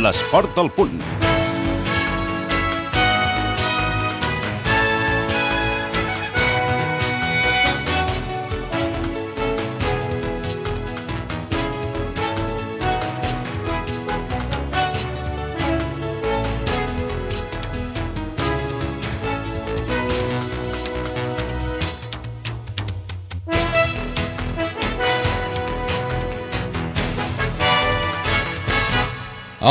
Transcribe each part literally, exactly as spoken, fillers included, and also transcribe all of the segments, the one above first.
l'esport al punt.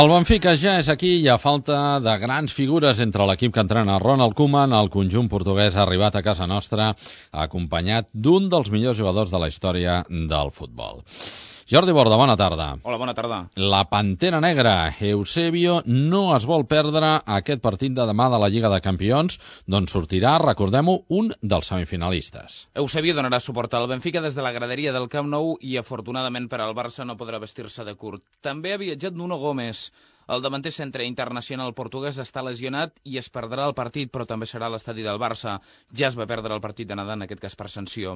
El Benfica ja és aquí i a falta de grans figures entre l'equip que entrena Ronald Koeman, el conjunt portuguès ha arribat a casa nostra acompanyat d'un dels millors jugadors de la història del futbol. Jordi Borda, bona tarda. Hola, bona tarda. La Pantera Negra, Eusebio, no es vol perdre aquest partit de demà de la Lliga de Campions, d'on sortirà, recordem-ho, un dels semifinalistes. Eusebio donarà suport al Benfica des de la graderia del Camp Nou i, afortunadament per al Barça, no podrà vestir-se de curt. També ha viatjat Nuno Gomes. El davanter centre internacional portuguès està lesionat i es perdrà el partit, però també serà a l'estadi del Barça. Ja es va perdre el partit d'anada, en aquest cas per sanció.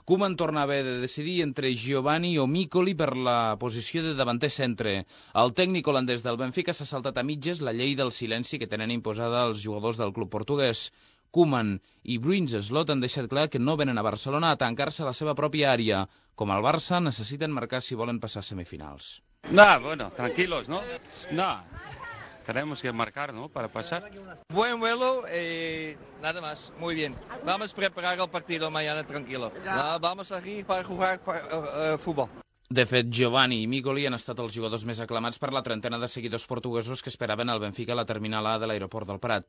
Koeman torna a haver de decidir entre Giovanni o Micoli per la posició de davanter centre. El tècnic holandès del Benfica s'ha saltat a mitges la llei del silenci que tenen imposada els jugadors del club portuguès. Koeman i Bruins Slot han deixat clar que no venen a Barcelona a tancar-se a la seva pròpia àrea. Com el Barça, necessiten marcar si volen passar a semifinals. No, bueno, tranquilos, ¿no? No, tenemos que marcar, ¿no? Para pasar. Buen vuelo y nada más, muy bien. Vamos a preparar el partido mañana tranquilo. No, vamos aquí para jugar uh, uh, fútbol. De fet, Giovanni i Micoli han estat els jugadors més aclamats per la trentena de seguidors portuguesos que esperaven el Benfica a la terminal A de l'aeroport del Prat.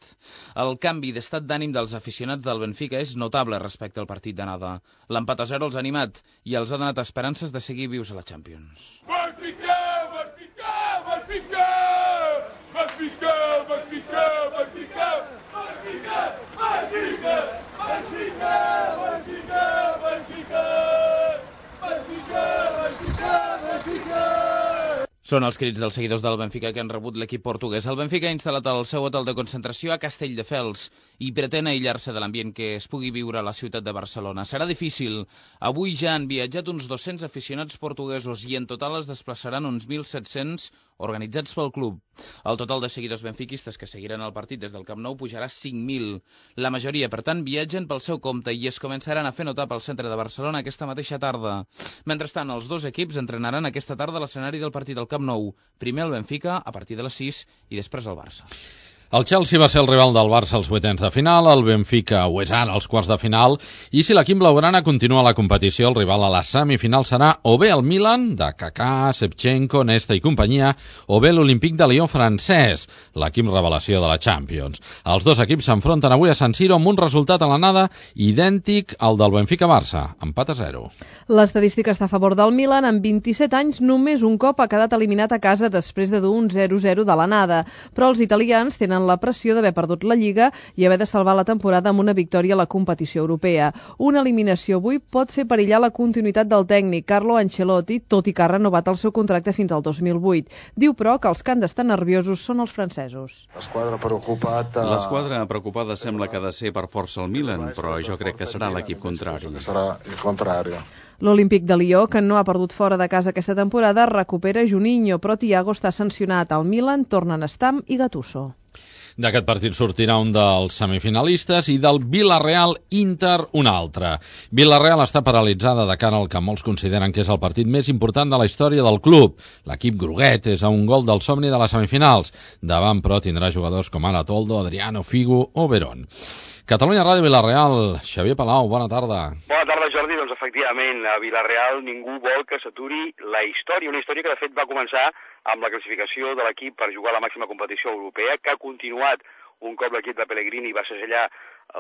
El canvi d'estat d'ànim dels aficionats del Benfica és notable respecte al partit d'anada. L'empat a zero els ha animat i els ha donat esperances de seguir vius a la Champions. Benfica! Benfica! Benfica! Benfica! Benfica! Benfica! Benfica! Benfica! Benfica! Benfica! Benfica! Són els crits dels seguidors del Benfica que han rebut l'equip portuguès. El Benfica ha instal·lat el seu hotel de concentració a Castelldefels i pretén aïllar-se de l'ambient que es pugui viure a la ciutat de Barcelona. Serà difícil. Avui ja han viatjat uns dos-cents aficionats portuguesos i en total es desplaçaran uns mil set-cents organitzats pel club. El total de seguidors benfiquistes que seguiran el partit des del Camp Nou pujarà cinc mil. La majoria, per tant, viatgen pel seu compte i es començaran a fer notar pel centre de Barcelona aquesta mateixa tarda. Mentrestant, els dos equips entrenaran aquesta tarda a l'escenari del partit del Camp Nou. Primer el Benfica, a partir de les sis, i després el Barça. El Chelsea va ser el rival del Barça als vuitens de final, el Benfica ho és ara als quarts de final, i si l'equip blaugrana continua la competició, el rival a la semifinal serà o bé el Milan, de Kaká, Shevchenko, Nesta i companyia, o bé l'Olympique de Lyon francès, l'equip revelació de la Champions. Els dos equips s'enfronten avui a San Siro amb un resultat a l'anada idèntic al del Benfica-Barça, empat a zero. L'estadística està a favor del Milan. En vint-i-set anys només un cop ha quedat eliminat a casa després de dur un zero zero de l'anada, però els italians tenen la pressió d'haver perdut la Lliga i haver de salvar la temporada amb una victòria a la competició europea. Una eliminació avui pot fer perillar la continuïtat del tècnic Carlo Ancelotti, tot i que ha renovat el seu contracte fins al dos mil vuit. Diu, però, que els que han d'estar nerviosos són els francesos. L'esquadra preocupada... L'esquadra preocupada sembla que ha de ser per força el Milan, però jo crec que serà l'equip contrari. Serà el contrari. L'Olímpic de Lió, que no ha perdut fora de casa aquesta temporada, recupera Juninho, però Thiago està sancionat. Al Milan tornen Stam i Gattuso. D'aquest partit sortirà un dels semifinalistes i del Villarreal-Inter un altre. Villarreal està paralitzada de cara al que molts consideren que és el partit més important de la història del club. L'equip groguet és a un gol del somni de les semifinals. Davant, però, tindrà jugadors com ara Toldo, Adriano, Figo o Verón. Catalunya Ràdio Villarreal, Xavier Palau, bona tarda. Bona tarda, Jordi. Doncs efectivament, a Villarreal ningú vol que s'aturi la història, una història que de fet va començar amb la classificació de l'equip per jugar a la màxima competició europea, que ha continuat un cop l'equip de Pellegrini va segellar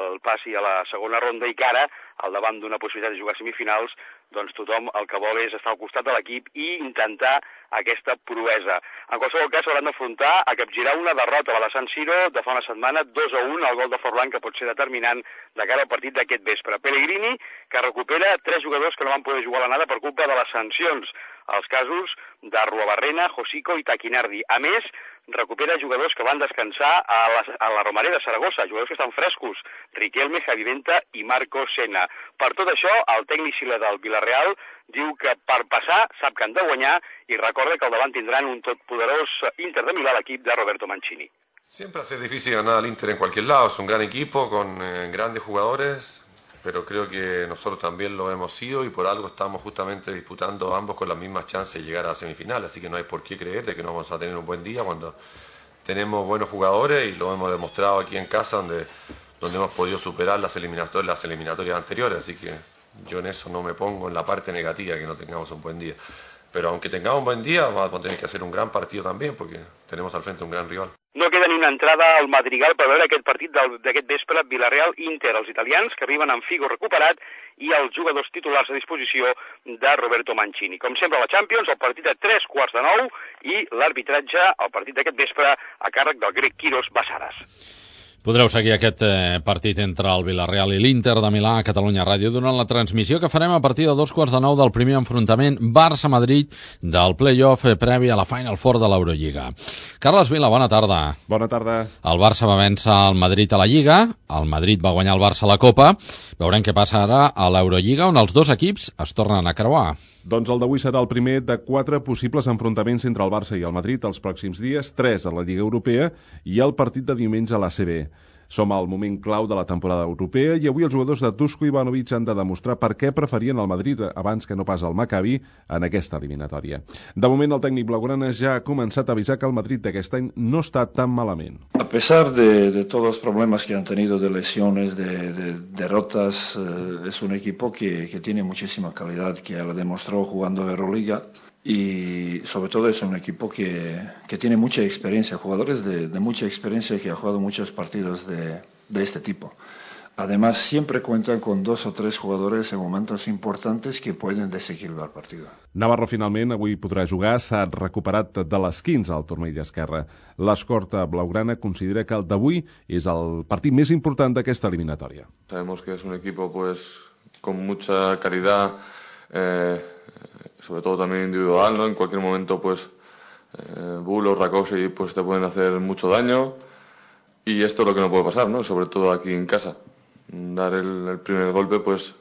el passi a la segona ronda i que ara, al davant d'una possibilitat de jugar semifinals, doncs tothom el que vol és estar al costat de l'equip i intentar aquesta proesa. En qualsevol cas, s'hauran d'afrontar a capgirar una derrota a la San Siro de fa una setmana, dos a un, el gol de Forlán, que pot ser determinant de cara al partit d'aquest vespre. Pellegrini, que recupera tres jugadors que no van poder jugar a l'anada per culpa de les sancions. els casos de Ruabarrena, Josico i Taquinardi. A més, recupera jugadors que van descansar a la, a la Romareda de Saragossa, jugadors que estan frescos, Riquelme, Javi Venta i Marco Senna. Per tot això, el tècnic xilè del Villarreal diu que per passar sap que han de guanyar i recorda que al davant tindran un totpoderós Inter de Milà, l'equip de Roberto Mancini. Siempre hace difícil ganar al Inter en cualquier lado, es un gran equipo con eh, grandes jugadores, pero creo que nosotros también lo hemos sido y por algo estamos justamente disputando ambos con las mismas chances de llegar a la semifinal, así que no hay por qué creer de que no vamos a tener un buen día cuando tenemos buenos jugadores y lo hemos demostrado aquí en casa donde, donde hemos podido superar las eliminatorias, las eliminatorias anteriores, así que yo en eso no me pongo en la parte negativa que no tengamos un buen día. Pero aunque tengamos un buen día, vamos a tener que hacer un gran partido también, porque tenemos al frente un gran rival. No queda ni una entrada al Madrigal per veure aquest partit d'aquest vespre, Villarreal-Inter. Els italians que arriben amb Figo recuperat i els jugadors titulars a disposició de Roberto Mancini. Com sempre a la Champions, el partit a tres quarts de nou i l'arbitratge, el partit d'aquest vespre, a càrrec del grec Quiros Bassaras. Podreu seguir aquest eh, partit entre el Villarreal i l'Inter de Milà a Catalunya Ràdio durant la transmissió que farem a partir de dos quarts de nou del primer enfrontament Barça-Madrid del play-off eh, previ a la Final Four de l'Eurolliga. Carles Vila, bona tarda. Bona tarda. El Barça va vèncer el Madrid a la Lliga, el Madrid va guanyar el Barça a la Copa. Veurem què passa ara a l'Eurolliga, on els dos equips es tornen a creuar. Doncs el d'avui serà el primer de quatre possibles enfrontaments entre el Barça i el Madrid els pròxims dies, tres a la Lliga Europea i el partit de diumenge a l'A C B. Som al moment clau de la temporada europea i avui els jugadors de Dusko Ivanovic han de demostrar per què preferien el Madrid abans que no pas el Maccabi en aquesta eliminatòria. De moment, el tècnic blaugrana ja ha començat a avisar que el Madrid d'aquest any no està tan malament. A pesar de, de todos los problemas que han tenido de lesiones, de, de derrotas, eh, es un equipo que, que tiene muchísima calidad, que lo demostró jugando Euroliga. Y sobre todo es un equipo que, que tiene mucha experiencia, jugadores de, de mucha experiencia que han jugado muchos partidos de, de este tipo. Además, siempre cuentan con dos o tres jugadores en momentos importantes que pueden desequilibrar el partido. Navarro finalment avui podrà jugar, s'ha recuperat de les quinze al turmell esquerre. L'escorta blaugrana considera que el d'avui és el partit més important d'aquesta eliminatòria. Sabemos que es un equipo pues con mucha calidad, eh, sobre todo también individual, ¿no? En cualquier momento, pues, eh, Bull o Rakosi pues, te pueden hacer mucho daño y esto es lo que no puede pasar, ¿no? Sobre todo aquí en casa. Dar el, el primer golpe, pues,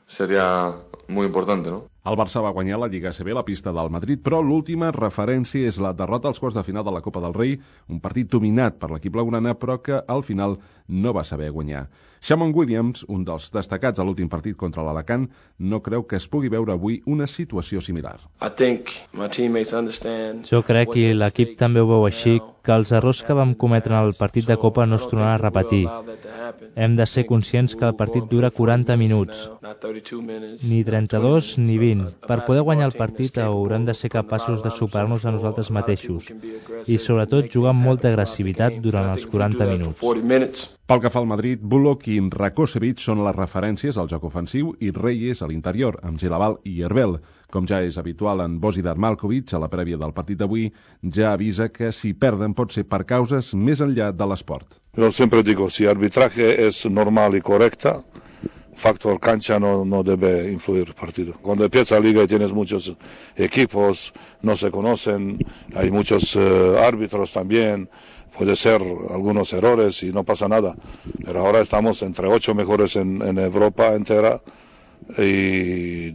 sería muy importante, ¿no? El Barça va guanyar la Lliga A C B a la pista del Madrid, però l'última referència és la derrota als quarts de final de la Copa del Rei, un partit dominat per l'equip blaugrana, però que al final no va saber guanyar. Shamon Williams, un dels destacats a l'últim partit contra l'Alacant, no creu que es pugui veure avui una situació similar. Jo crec que l'equip també ho veu així, que els errors que vam cometre en el partit de Copa no es tornaran a repetir. Hem de ser conscients que el partit dura quaranta minuts, ni trenta-dos ni vint. Per poder guanyar el partit haurem de ser capaços de superar-nos a nosaltres mateixos i sobretot jugar amb molta agressivitat durant els quaranta minuts. Pel que fa al Madrid, Bullock i Rakosevic són les referències al joc ofensiu i Reyes a l'interior, amb Gelaval i Herbel. Com ja és habitual en Božidar Maljkovic, a la prèvia del partit d'avui, ja avisa que si perden pot ser per causes més enllà de l'esport. Yo siempre digo, si el arbitraje es normal y correcta, factor cancha no, no debe influir el partido. Cuando empieza la liga y tienes muchos equipos, no se conocen, hay muchos uh, árbitros también, puede ser algunos errores y no pasa nada. Pero ahora estamos entre ocho mejores en, en Europa entera y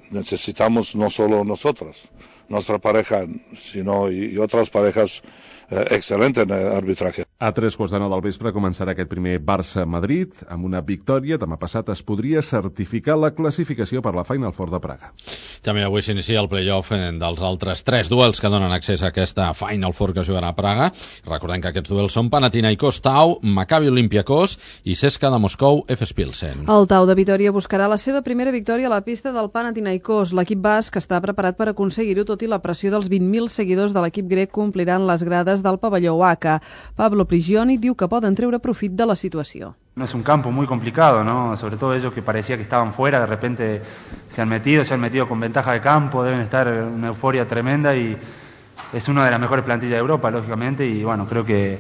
necesitamos no solo nosotros, nuestra pareja, sino y, y otras parejas eh, excelentes en el arbitraje. A tres quarts de nou del vespre començarà aquest primer Barça-Madrid. Amb una victòria, demà passat es podria certificar la classificació per la Final Four de Praga. També avui s'inicia el play-off dels altres tres duels que donen accés a aquesta Final Four que jugarà a Praga. Recordem que aquests duels són Panathinaikos Tau, Maccabi Olympiacos i C S K A de Moscou, Efes Pilsen. El Tau de Vitòria buscarà la seva primera victòria a la pista del Panathinaikos. L'equip basc està preparat per aconseguir-ho, tot i la pressió dels vint mil seguidors de l'equip grec que ompliran les grades del pavelló Oaca. Pablo Prigioni diu que poden treure profit de la situació. No es un campo muy complicado, ¿no? Sobre todo ellos que parecía que estaban fuera, de repente se han metido, se han metido con ventaja de campo, deben estar en una euforia tremenda y es una de las mejores plantillas de Europa, lógicamente, y bueno, creo que,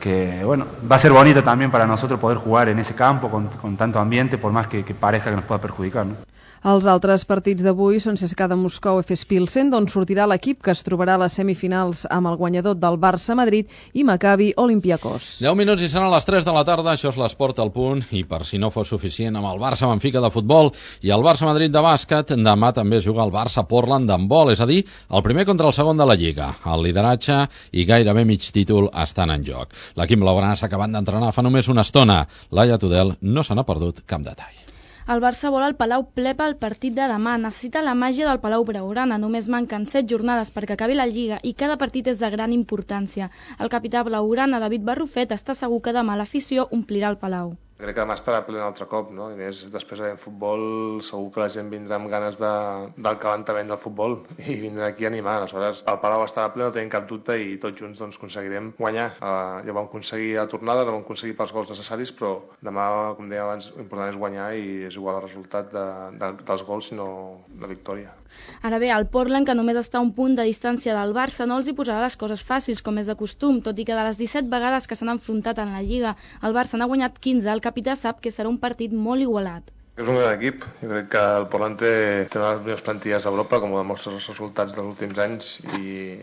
que bueno, va a ser bonito también para nosotros poder jugar en ese campo con, con tanto ambiente, por más que, que parezca que nos pueda perjudicar, ¿no? Els altres partits d'avui són C S K A de Moscou F S Pilsen, d'on sortirà l'equip que es trobarà a les semifinals amb el guanyador del Barça-Madrid i Maccabi Olympiacos. deu minuts i seran les tres de la tarda, això és l'Esport al Punt, i per si no fos suficient amb el Barça-Benfica de futbol i el Barça-Madrid de bàsquet, demà també es juga el Barça-Portland d'handbol, és a dir, el primer contra el segon de la Lliga. El lideratge i gairebé mig títol estan en joc. L'equip blaugrana s'ha acabat d'entrenar fa només una estona. Laia Tudel no se n'ha perdut cap detall. El Barça vol el Palau ple pel partit de demà. Necessita la màgia del Palau Blaugrana. Només manquen set jornades perquè acabi la Lliga i cada partit és de gran importància. El capità blaugrana, David Barrufet, està segur que demà l'afició omplirà el Palau. Crec que demà estarà ple un altre cop, no? I més, després de futbol, segur que la gent vindrà amb ganes de, del calentament del futbol i vindrà aquí a animar. Aleshores, el Palau estarà ple, no tenim cap dubte, i tots junts doncs, aconseguirem guanyar. Uh, ja vam aconseguir la tornada, no vam aconseguir pels gols necessaris, però demà, com deia abans, l'important és guanyar i és igual el resultat de, de, dels gols, sinó la victòria. Ara bé, el Portland, que només està a un punt de distància del Barça, no els hi posarà les coses fàcils, com és de costum, tot i que de les disset vegades que s'han enfrontat en la Lliga, el Barça n'ha guanyat quinze. El capità sap que serà un partit molt igualat. És un gran equip. Jo crec que el Portland té, té una de les millors plantilles d'Europa, com ho demostren els resultats dels últims anys, i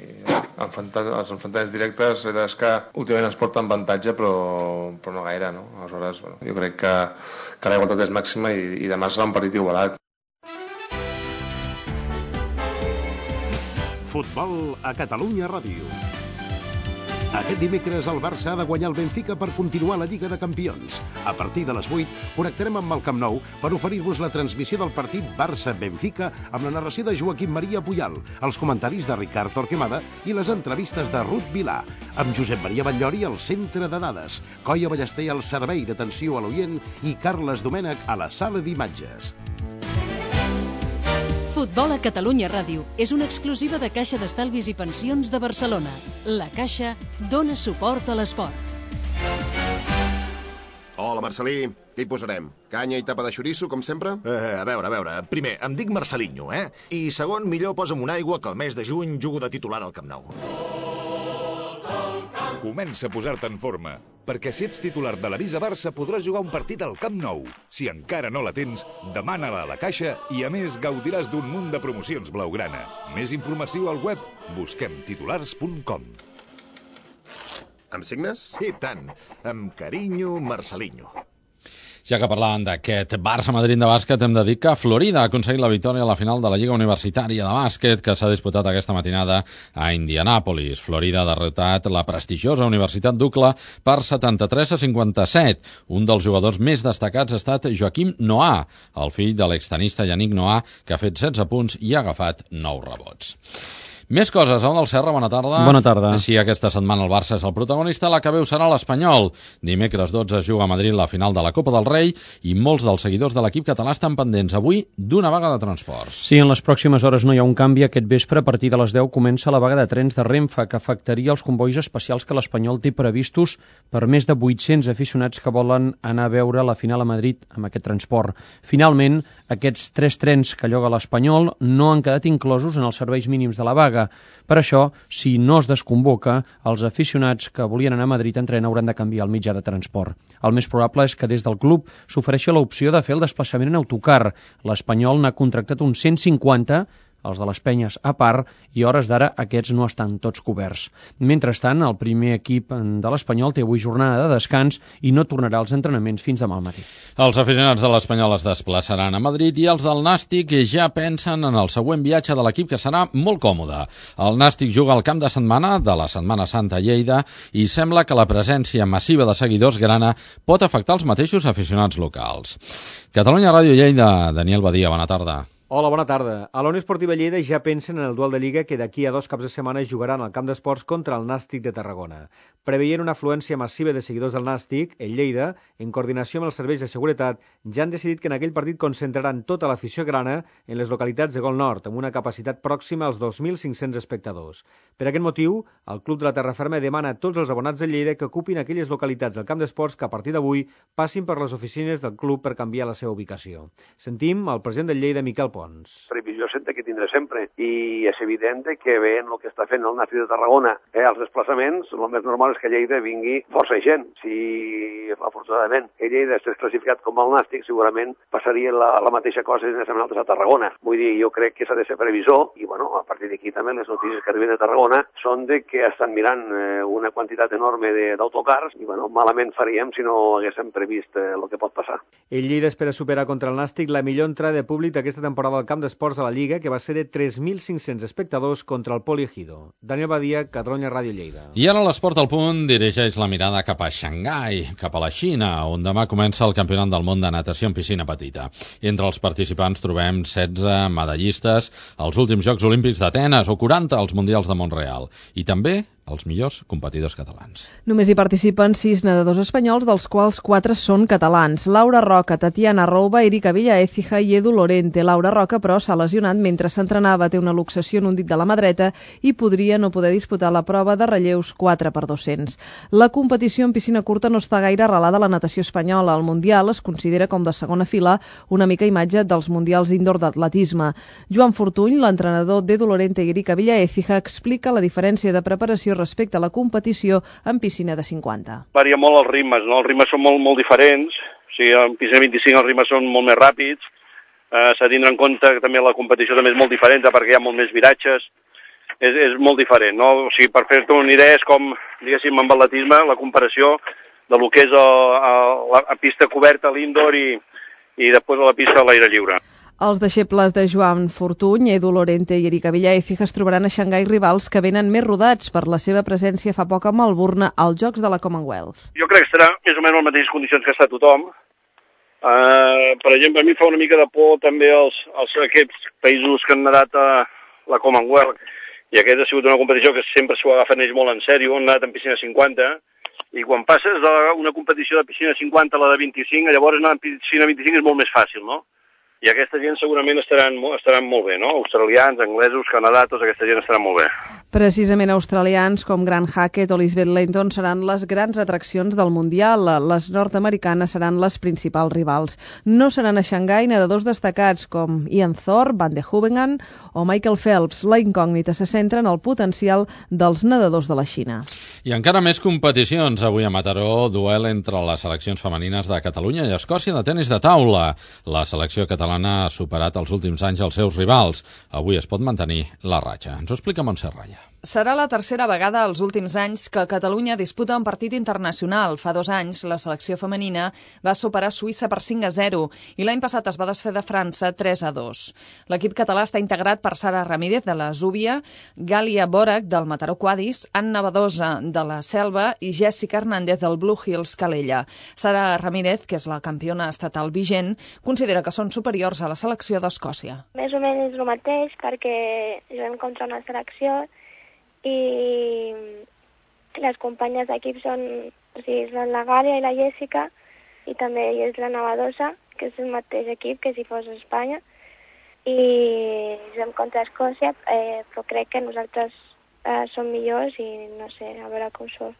enfrontar, els enfrontaments directes és que últimament ens porten avantatge, però, però no gaire, no? Aleshores, bueno, jo crec que, que la igualtat és màxima i, i demà serà un partit igualat. Futbol a Catalunya Ràdio. Aquest dimecres el Barça ha de guanyar el Benfica per continuar la Lliga de Campions. A partir de les vuit connectarem amb el Camp Nou per oferir-vos la transmissió del partit Barça-Benfica amb la narració de Joaquim Maria Puyal, els comentaris de Ricard Torquemada i les entrevistes de Ruth Vilà, amb Josep Maria Batllori al centre de dades, Coia Ballester al servei d'atenció a l'oient i Carles Domènech a la sala d'imatges. Futbol a Catalunya Ràdio és una exclusiva de Caixa d'Estalvis i Pensions de Barcelona. La Caixa dona suport a l'esport. Hola, Marcelí. Què hi posarem? Canya i tapa de xoriço, com sempre? Eh, a veure, a veure. Primer, em dic Marcelinho, eh? I segon, millor posa'm una aigua que el mes de juny jugo de titular al Camp Nou. Comença a posar-te en forma, perquè si ets titular de l'Avisa Barça podràs jugar un partit al Camp Nou. Si encara no la tens, demana-la a la Caixa i a més gaudiràs d'un munt de promocions blaugrana. Més informació al web busquem titulars punt com. Em signes? I tant, amb carinyo, Marcelinho. Ja que parlàvem d'aquest Barça-Madrid de bàsquet, hem de dir que Florida ha aconseguit la victòria a la final de la Lliga Universitària de Bàsquet que s'ha disputat aquesta matinada a Indianàpolis. Florida ha derrotat la prestigiosa Universitat d'Ucla per setanta-tres a cinquanta-set. Un dels jugadors més destacats ha estat Joaquim Noah, el fill de l'extenista Yannick Noah, que ha fet setze punts i ha agafat nou rebots. Més coses, Au del Serra, bona tarda. Bona tarda. Sí, aquesta setmana el Barça és el protagonista, la que veu serà l'Espanyol. Dimecres dotze es juga a Madrid la final de la Copa del Rei i molts dels seguidors de l'equip català estan pendents avui d'una vaga de transports. Sí, en les pròximes hores no hi ha un canvi. Aquest vespre, a partir de les deu, comença la vaga de trens de Renfe, que afectaria els convois especials que l'Espanyol té previstos per més de vuit-cents aficionats que volen anar a veure la final a Madrid amb aquest transport. Finalment, aquests tres trens que lloga l'Espanyol no han quedat inclosos en els serveis mínims de la vaga. Per això, si no es desconvoca, els aficionats que volien anar a Madrid en tren hauran de canviar el mitjà de transport. El més probable és que des del club s'ofereixi l'opció de fer el desplaçament en autocar. L'Espanyol n'ha contractat uns cent cinquanta, els de les penyes a part, i a hores d'ara aquests no estan tots coberts. Mentrestant, el primer equip de l'Espanyol té avui jornada de descans i no tornarà als entrenaments fins demà al matí. Els aficionats de l'Espanyol es desplaçaran a Madrid i els del Nàstic ja pensen en el següent viatge de l'equip, que serà molt còmode. El Nàstic juga al camp de setmana de la Setmana Santa a Lleida i sembla que la presència massiva de seguidors grana pot afectar els mateixos aficionats locals. Catalunya Ràdio Lleida, Daniel Badia, bona tarda. Hola, bona tarda. A la Unió Esportiva Lleida ja pensen en el duel de Lliga que d'aquí a dos caps de setmana jugaran al camp d'esports contra el Nàstic de Tarragona. Preveient una afluència massiva de seguidors del Nàstic, el Lleida, en coordinació amb els serveis de seguretat, ja han decidit que en aquell partit concentraran tota l'afició grana en les localitats de Gol Nord, amb una capacitat pròxima als dos mil cinc-cents espectadors. Per aquest motiu, el Club de la Terraferma demana a tots els abonats de Lleida que ocupin aquelles localitats del camp d'esports que a partir d'avui passin per les oficines del club per canviar la seva ubicació. Sentim el president del Lleida, Miquel Pons. Pons. Previsió sempre que tindré sempre, i és evident que veient el que està fent el Nàstic de Tarragona, eh, els desplaçaments, el més normal és que Lleida vingui força gent. Si, afortunadament, que Lleida estigués classificat com el Nàstic, segurament passaria la, la mateixa cosa si anéssim nosaltres a Tarragona. Vull dir, jo crec que s'ha de ser previsor, i bueno, a partir d'aquí també les notícies que arriben de Tarragona són de que estan mirant eh, una quantitat enorme d'autocars, i bueno, malament faríem si no haguéssim previst eh, el que pot passar. El Lleida espera superar contra el Nàstic la millor entrada de públic d'aquesta temporada al camp d'esports de la Lliga, que va ser de tres mil cinc-cents espectadors contra el Poliegido. Daniel Badia, Catalunya Ràdio Lleida. I ara l'Esport al Punt dirigeix la mirada cap a Xangai, cap a la Xina, on demà comença el Campionat del Món de Natació en piscina petita. Entre els participants trobem setze medallistes als últims Jocs Olímpics d'Atenes o quaranta als Mundials de Mont-real. I també els millors competidors catalans. Només hi participen sis nedadors espanyols, dels quals quatre són catalans. Laura Roca, Tatiana Rouba, Erika Villaécija i Edu Lorente. Laura Roca, però, s'ha lesionat mentre s'entrenava, té una luxació en un dit de la mà dreta i podria no poder disputar la prova de relleus quatre per dos-cents. La competició en piscina curta no està gaire arrelada a la natació espanyola. El Mundial es considera com de segona fila, una mica imatge dels Mundials indoor d'atletisme. Joan Fortuny, l'entrenador d'Edu Lorente i Erika Villaécija, explica la diferència de preparació respecte a la competició en piscina de cinquanta. Varia molt els ritmes, no? Els ritmes són molt, molt diferents. O sigui, en piscina vint-i-cinc els ritmes són molt més ràpids. Eh, S'ha de tindre en compte que també la competició també és molt diferent perquè hi ha molt més viratges. És, és molt diferent, no? O sigui, per fer-te una idea és com, diguéssim, amb atletisme, la comparació de lo que és a, a, la a pista coberta, l'indoor i, i després a la pista a l'aire lliure. Els deixebles de Joan Fortuny, Edu Lorente i Erika Villaécija es trobaran a Xangai rivals que venen més rodats per la seva presència fa poc a Melbourne als Jocs de la Commonwealth. Jo crec que estarà més o menys en les mateixes condicions que està tothom. Uh, per exemple, a mi fa una mica de por també els, els aquests països que han nedat a la Commonwealth, i aquest ha sigut una competició que sempre s'ho agafen ells molt en sèrio, han nedat en piscina cinquanta, i quan passes d'una competició de piscina cinquanta a la de vint-i-cinc, llavors anar en piscina vint-i-cinc és molt més fàcil, no? I aquesta gent segurament estaran, estaran molt bé, no? Australians, anglesos, Canadà, tota aquesta gent estaran molt bé. Precisament australians com Grant Hackett o Lisbeth Layton seran les grans atraccions del Mundial. Les nord-americanes seran les principals rivals. No seran a Xangai nedadors destacats com Ian Thorpe, Van de Hoevengan o Michael Phelps. La incògnita se centra en el potencial dels nedadors de la Xina. I encara més competicions. Avui a Mataró, duel entre les seleccions femenines de Catalunya i Escòcia de tenis de taula. La selecció catalana ha superat els últims anys els seus rivals. Avui es pot mantenir la ratxa. Ens ho explica Montse Raya. Serà la tercera vegada als últims anys que Catalunya disputa un partit internacional. Fa dos anys, la selecció femenina va superar Suïssa per cinc a zero i l'any passat es va desfer de França tres a dos. L'equip català està integrat per Sara Ramírez, de la Zúbia, Gàlia Borac, del Mataró Quadis, Anna Badosa, de la Selva, i Jessica Hernández, del Blue Hills Calella. Sara Ramírez, que és la campiona estatal vigent, considera que són superiors a la selecció d'Escòcia. Més o menys el mateix, perquè juguem contra una selecció i les companyes d'equip són, o sigui, són la Gàlia i la Jessica, i també és la Navadosa, que és el mateix equip que si fos a Espanya, i juguem contra Escòcia, eh, però crec que nosaltres eh, som millors i no sé, a veure com surt.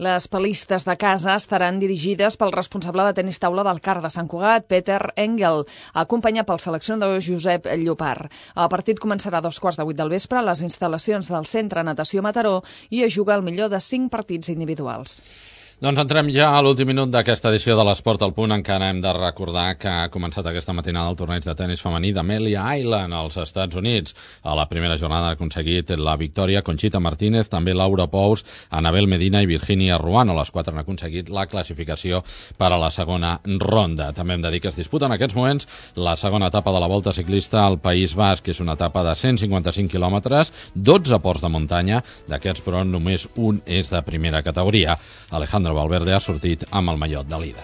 Les palistes de casa estaran dirigides pel responsable de tenis taula del C A R de Sant Cugat, Peter Engel, acompanyat pel seleccionador Josep Llopart. El partit començarà a dos quarts de vuit del vespre a les instal·lacions del Centre Natació Mataró i es juga el millor de cinc partits individuals. Doncs entrem ja a l'últim minut d'aquesta edició de l'Esport al Punt. Encara hem de recordar que ha començat aquesta matinada el torneig de tenis femení d'Amelia Island als Estats Units. A la primera jornada ha aconseguit la victòria Conchita Martínez, també Laura Pous, Anabel Medina i Virginia Ruano. Les quatre han aconseguit la classificació per a la segona ronda. També hem de dir que es disputa en aquests moments la segona etapa de la Volta Ciclista al País Basc, que és una etapa de cent cinquanta-cinc quilòmetres, dotze ports de muntanya, d'aquests però només un és de primera categoria. Alejandro Valverde ha sortit amb el mallot de líder.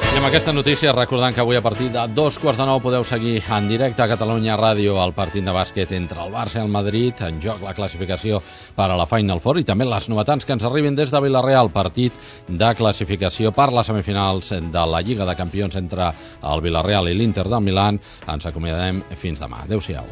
I amb aquesta notícia recordant que avui a partir de dos quarts de nou podeu seguir en directe a Catalunya Ràdio el partit de bàsquet entre el Barça i el Madrid, en joc la classificació per a la Final Four i també les novetats que ens arribin des de Vila-real, partit de classificació per les semifinals de la Lliga de Campions entre el Vila-real i l'Inter del Milán. Ens acomiadem fins demà. Adéu-siau.